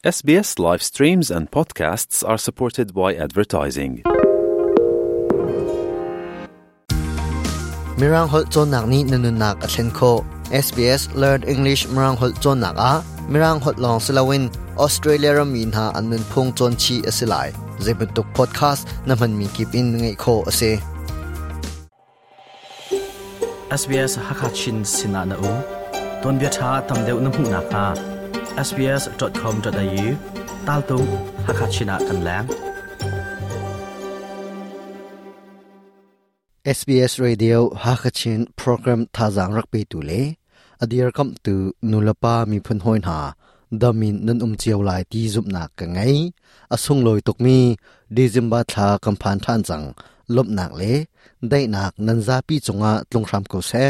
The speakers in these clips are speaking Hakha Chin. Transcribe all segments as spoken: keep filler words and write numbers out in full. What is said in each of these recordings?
S B S live streams and podcasts are supported by advertising. Mirang holh cawnnak nih na nunnak a thlen khawh. S B S Learn English Mirang holh cawnnak ah Mirang holh lawng si loin Australia rammi hna an nunphung cawn chih a si lai. Zeibantuk podcast na hmanmi kip in ngaih khawh a si. S B S Hakachin Sinah na um ton bia tha tam deuh na hmuh nak hnga S B S dot com dot A U tal tung Hakachina kan lang. S B S Radio Hakachin program thazang rak pe tu le adir kam tu nulapa mi phun hoin ha damin nan um chiaw lai ti zup nak ka ngai asung loi tuk mi December thla kam phan than chang lop nak le dai nak nan za pi chunga tlung ram ko se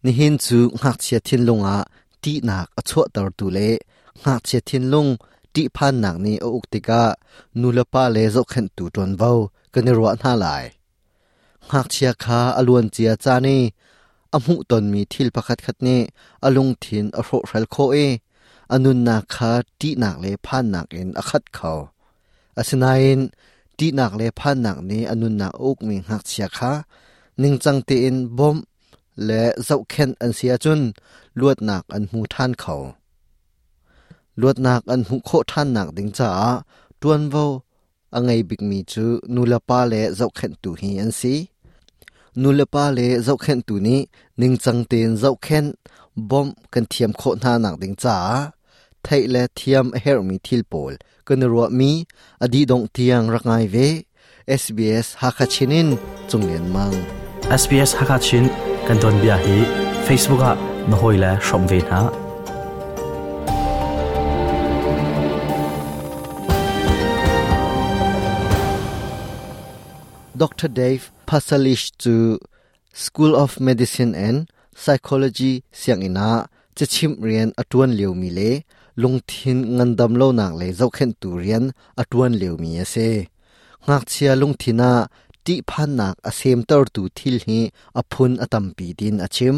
ni hin chu ngak chia thin lunga ti nak achho tar tu le ngak chia thin lung ti phan nak ni o uktika nulapa le zo khen tu ton vo kan ro na lai ngakchia kha aluan chia cha ni amu ton mi thil pakhat khat ni alung thin a hro hral kho e anun na kha ti nak le phan nak in a khat kho asinain ti nak le phan nak ni anun na uk mi ngakchia kha ningchang te in bom le zau khen an sia chun luat nak an mu than kho luat nak an mu kho than nak ding cha tuan vo angai big mi chu nulapa le zau khen tu hi an si nulapa le zau khen tu ni ningchang ten zau khen bom kan thiam kho na nak ding cha thai le thiam her mi thil pol kan ro mi adi dong tiang rangai ve S B S Hakachinin chunglen mang. S B S Hakachin kan don bia hi Facebook ah na hoi la shom ve na. Doctor Dave Pasalish chu School of Medicine and Psychology siang ina chachim rian atuan leo mi le lungthin ngandam lo nak le zokhen tu rian atuan leo mi ase ngak chia lungthina ti phan nak asem tar tu thil hi aphun atampi din achim.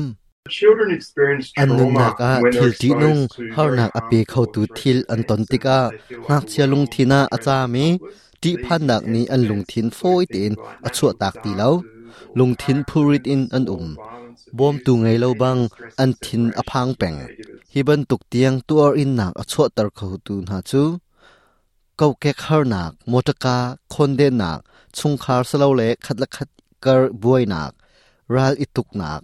Children experience an nun trauma nak a when they're thil ti nung exposed to har very nak a pe kho harmful tu or thil threatening an ton events tika and they feel like ngak the chia world lungthina is acha mi threatened and ti helpless. phan nak These ni an intense lungthin events foi include ten things like a chua natural tak ti lo disasters or lungthin car phurit in accidents an or um violence, bom tu abuse, ngai lo and bang stress an of thin a separation phang from peng caregivers. Hi ban tuk tiang tuar in nak a chua tar kho tu na chu kau kek har nak motaka khon de nak chungkhar salo le khat la khat kar buai nak ral ituk nak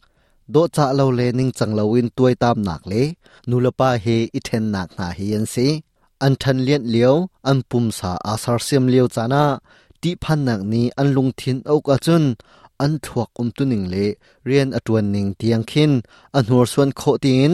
do cha lo le ning chang lo in tuai tam nak le nulapa he i then nak na hi an si an than lian liao an pum sa asar sem liao chana ti phan nak ni an lung thin ok a chun an thuak um tu ning le rian atuan ning tiang khin an hur suan kho tin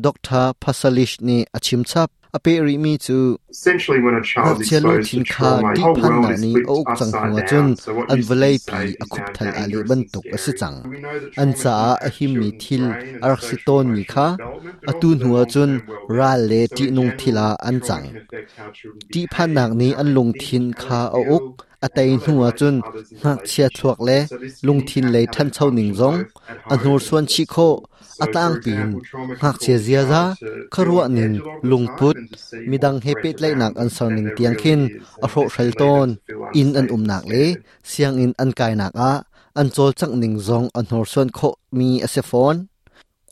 Doctor Pasalish ni achim chap ape ri mi chu Essentially, when a child's ngakchia exposed lungthin to kha trauma, the ti whole phan world nak is ni flipped ok chang upside hnuwa chun down. So what an used to be vawlei pi safe a is khup now thal a le dangerous ban and tuk a si scary. chang We know that an trauma cha can a impact him mi children's thil brain and arak si social ton mi emotional kha development, but atu also their hnuwa chun long-term well-being. ral le So ti in nung general, thila an trauma chang can affect how children ti phan behave, nak ni how an they lungthin think, how kha they a uk feel, a and tai how they hnuwa relate chun to others in ngak chia thuak relationships. Le So this can lungthin impact lei how than they chau ning function zong both at an home hur and suan at chi kho school. a So, tlang for pin example, trauma can ngak chia cause a zia za child to feel kharwa on nin edge a lot of the lungput time and to see more midang he threat pet lai nak around an them sar than ning there tiang really khin is, a and hro this hral can lead them ton to feel in an unsafe um and nak le scared. Siang in an kai nak a an chol chang ning zong an hor suan kho mi ase phone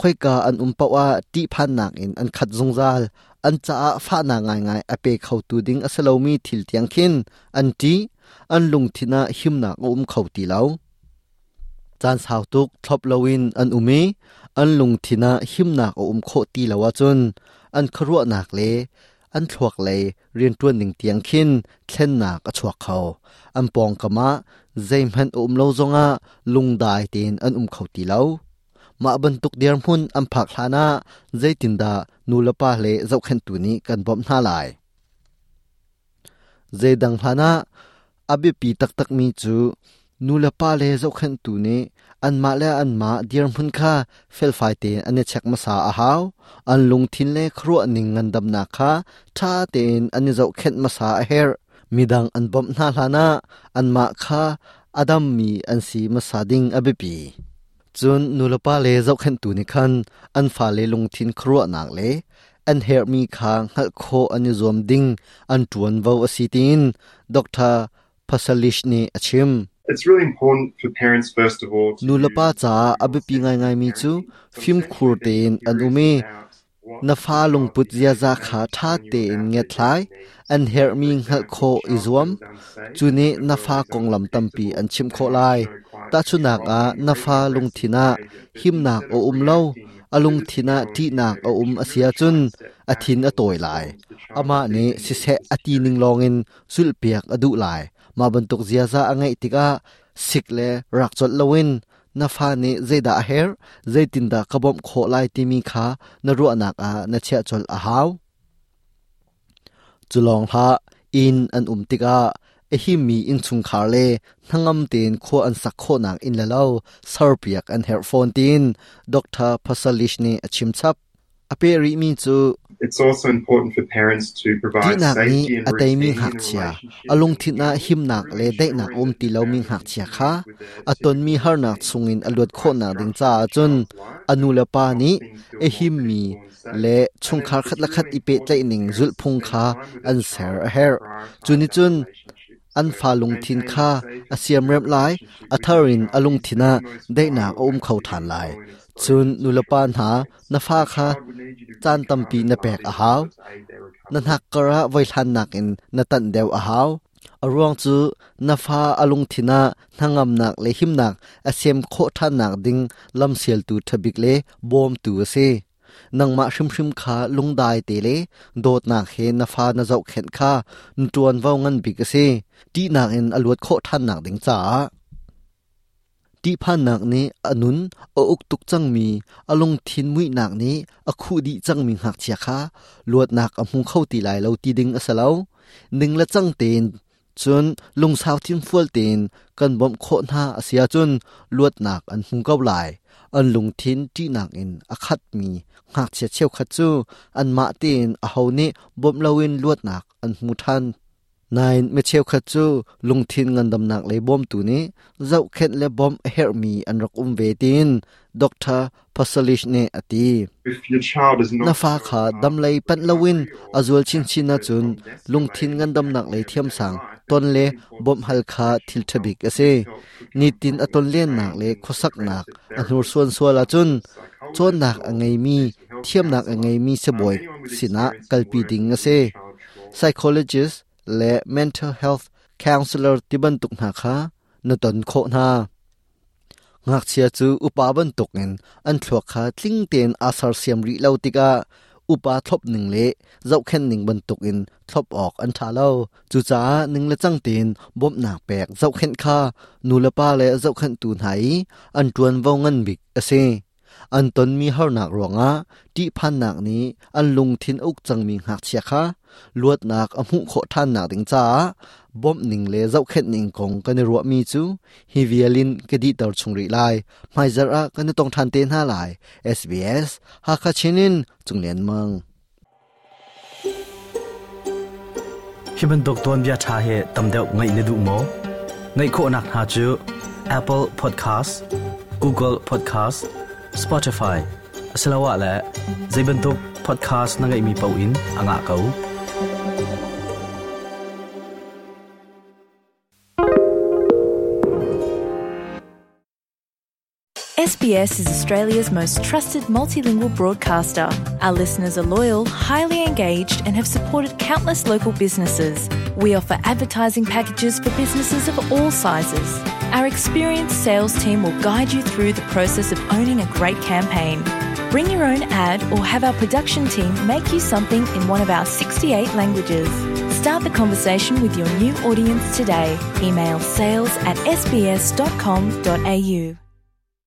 khoi ka an um pawa ti phan nak in an khat zungzal an cha a fa na ngai ngai a pe khau tu ding asalo mi thil tiang khin an ti an lung thina him nak um khau ti lo chan sau tuk thlop lowin an umi an lung thina him nak um kho ti lawa chun an kharwa nak le an thuak le rian tuan ning tiang khin thlen nak a chuak khau an pong kama zeimhan um lo zonga lungdai tin an um khau ti lo ma ban tuk dir hmun an phak hlana zaitinda nulapa le zokhen tu ni kan bom na lai zedang hlana abi pi tak tak mi chu nulapa le zokhen tu ni an ma le an ma dir hmun kha fel fai te an chek ma sa a haw an lung thin le khru ning ngan dam na kha tha ten an zo khet ma sa a her midang an bom na hlana an ma kha adam mi an si ma sa ding abi pi chun nulapa le zokhen tu ni khan an fa le lung thin khru nak le An her mi kha ngal kho an zuam ding an tuan vo asitin Doctor Pasalish ni achim. It's really important for parents first of all to Nulapa cha abipi ngai ngai mi chu phim khur tein an umi na fa lungput zia za kha tha te in nge thlai an her mi ngal kho izuam chuni na fa konglam tampi an chim kho lai ta chunak a na fa lungthina himnak o um lo alung thina ti nak o um asia chun athin a toy lai ama ne si se ati ning longin sulpiak adu lai ma bantuk zia za angai tika sikle rak chot lowin na fa ni zaida her zaitin da kabom kho lai ti mi kha na ru anak a na chia chol a haw chulong ha in an um tika e hi mi in chung khar le thangam ten kho an sak kho nak in la lo sarpiak an her phone tin Doctor Pasalish ni achim chap ape ri mi chu It's also important for parents to provide Ti nak ni safety and atai mi routine in hak a chia relationship alung and thi na him nak le dai nak om ti lo mi hak chia kha aton mi har nak chungin aluat kho na ding cha chun anu la pa ni e him mi le chungkhar khat la khat ipe tlai ning zul phung kha an ser a her chuni chun an fa lung thin kha asiam rem lai atharin alung thina dai nak om khau than lai chun nulapan ha na fa kha chan tampi na pek a haw na hnak kara voi hlan nak in na tan deu a haw aruang chu na fa alung thina hnangam nak le him nak asem kho than nak ding lam sel tu thabik le bom tu ase nangma hrim hrim kha lungdai te le dot nak he na fa na zau khen kha tuan vau ngan bik ase ti nak in aluat kho than nak ding cha ti phan nak ni anun o uk tuk chang mi alung thin mui nak ni akhu di chang mi hak chia kha luat nak a hmu khau ti lai lo ti ding asalo ning la chang ten chun lung sau thin fual ten kan bom kho na asia chun luat nak an hmu kau lai an lung thin ti nak in akhat mi hak chia cheu khat chu an ma ten a ho ni bom lowin luat nak an hmu than nine me cheu khat chu lung thin ngandam nak le bom tu ni zau khet le bom her mi an rak um ve tin Doctor Pasalish ne ati If your child is not na fa kha dam lei pan lowin azul chin chin na chun lung thin ngandam nak le thiam sang ton le bom hal kha thil thabik ase ni tin aton len nak le khosak nak anur suan suala chun chon nak angai mi thiam nak angai mi se boy sina kalpi ding ase psychologist le mental health counselor tiban tuk na kha na ton kho na ngak chia chu upa ban tuk in an thluak kha tling ten asar siam ri lo tika upa thlop ning le zau khen ning ban tuk in thlop ok an tha lo chu cha ning le chang tin bom nak pek zau khen kha nu la pa le zau khen tu nai an tuan vo ngan bik ase an ton mi har nak ronga ti phan nak ni an lung thin uk chang mi hak chia kha luat nak a mu kho than nak ding cha bom ning le zau khet ning kong kan ro mi chu hi vialin ke di tar chung ri lai mai zar a kan tong than te na lai S B S ha kha chinin chunglen mang hiban dok ton bia tha he tamdeu ngai ne du mo ngai kho nak ha chu Apple Podcast Google Podcast Spotify asalawa la zaibantuk podcast na ngai mi pau in anga kau S B S is Australia's most trusted multilingual broadcaster. Our listeners are loyal, highly engaged and have supported countless local businesses. We offer advertising packages for businesses of all sizes. Our experienced sales team will guide you through the process of owning a great campaign. Bring your own ad or have our production team make you something in one of our sixty-eight languages. Start the conversation with your new audience today. Email sales at s b s dot com dot a u.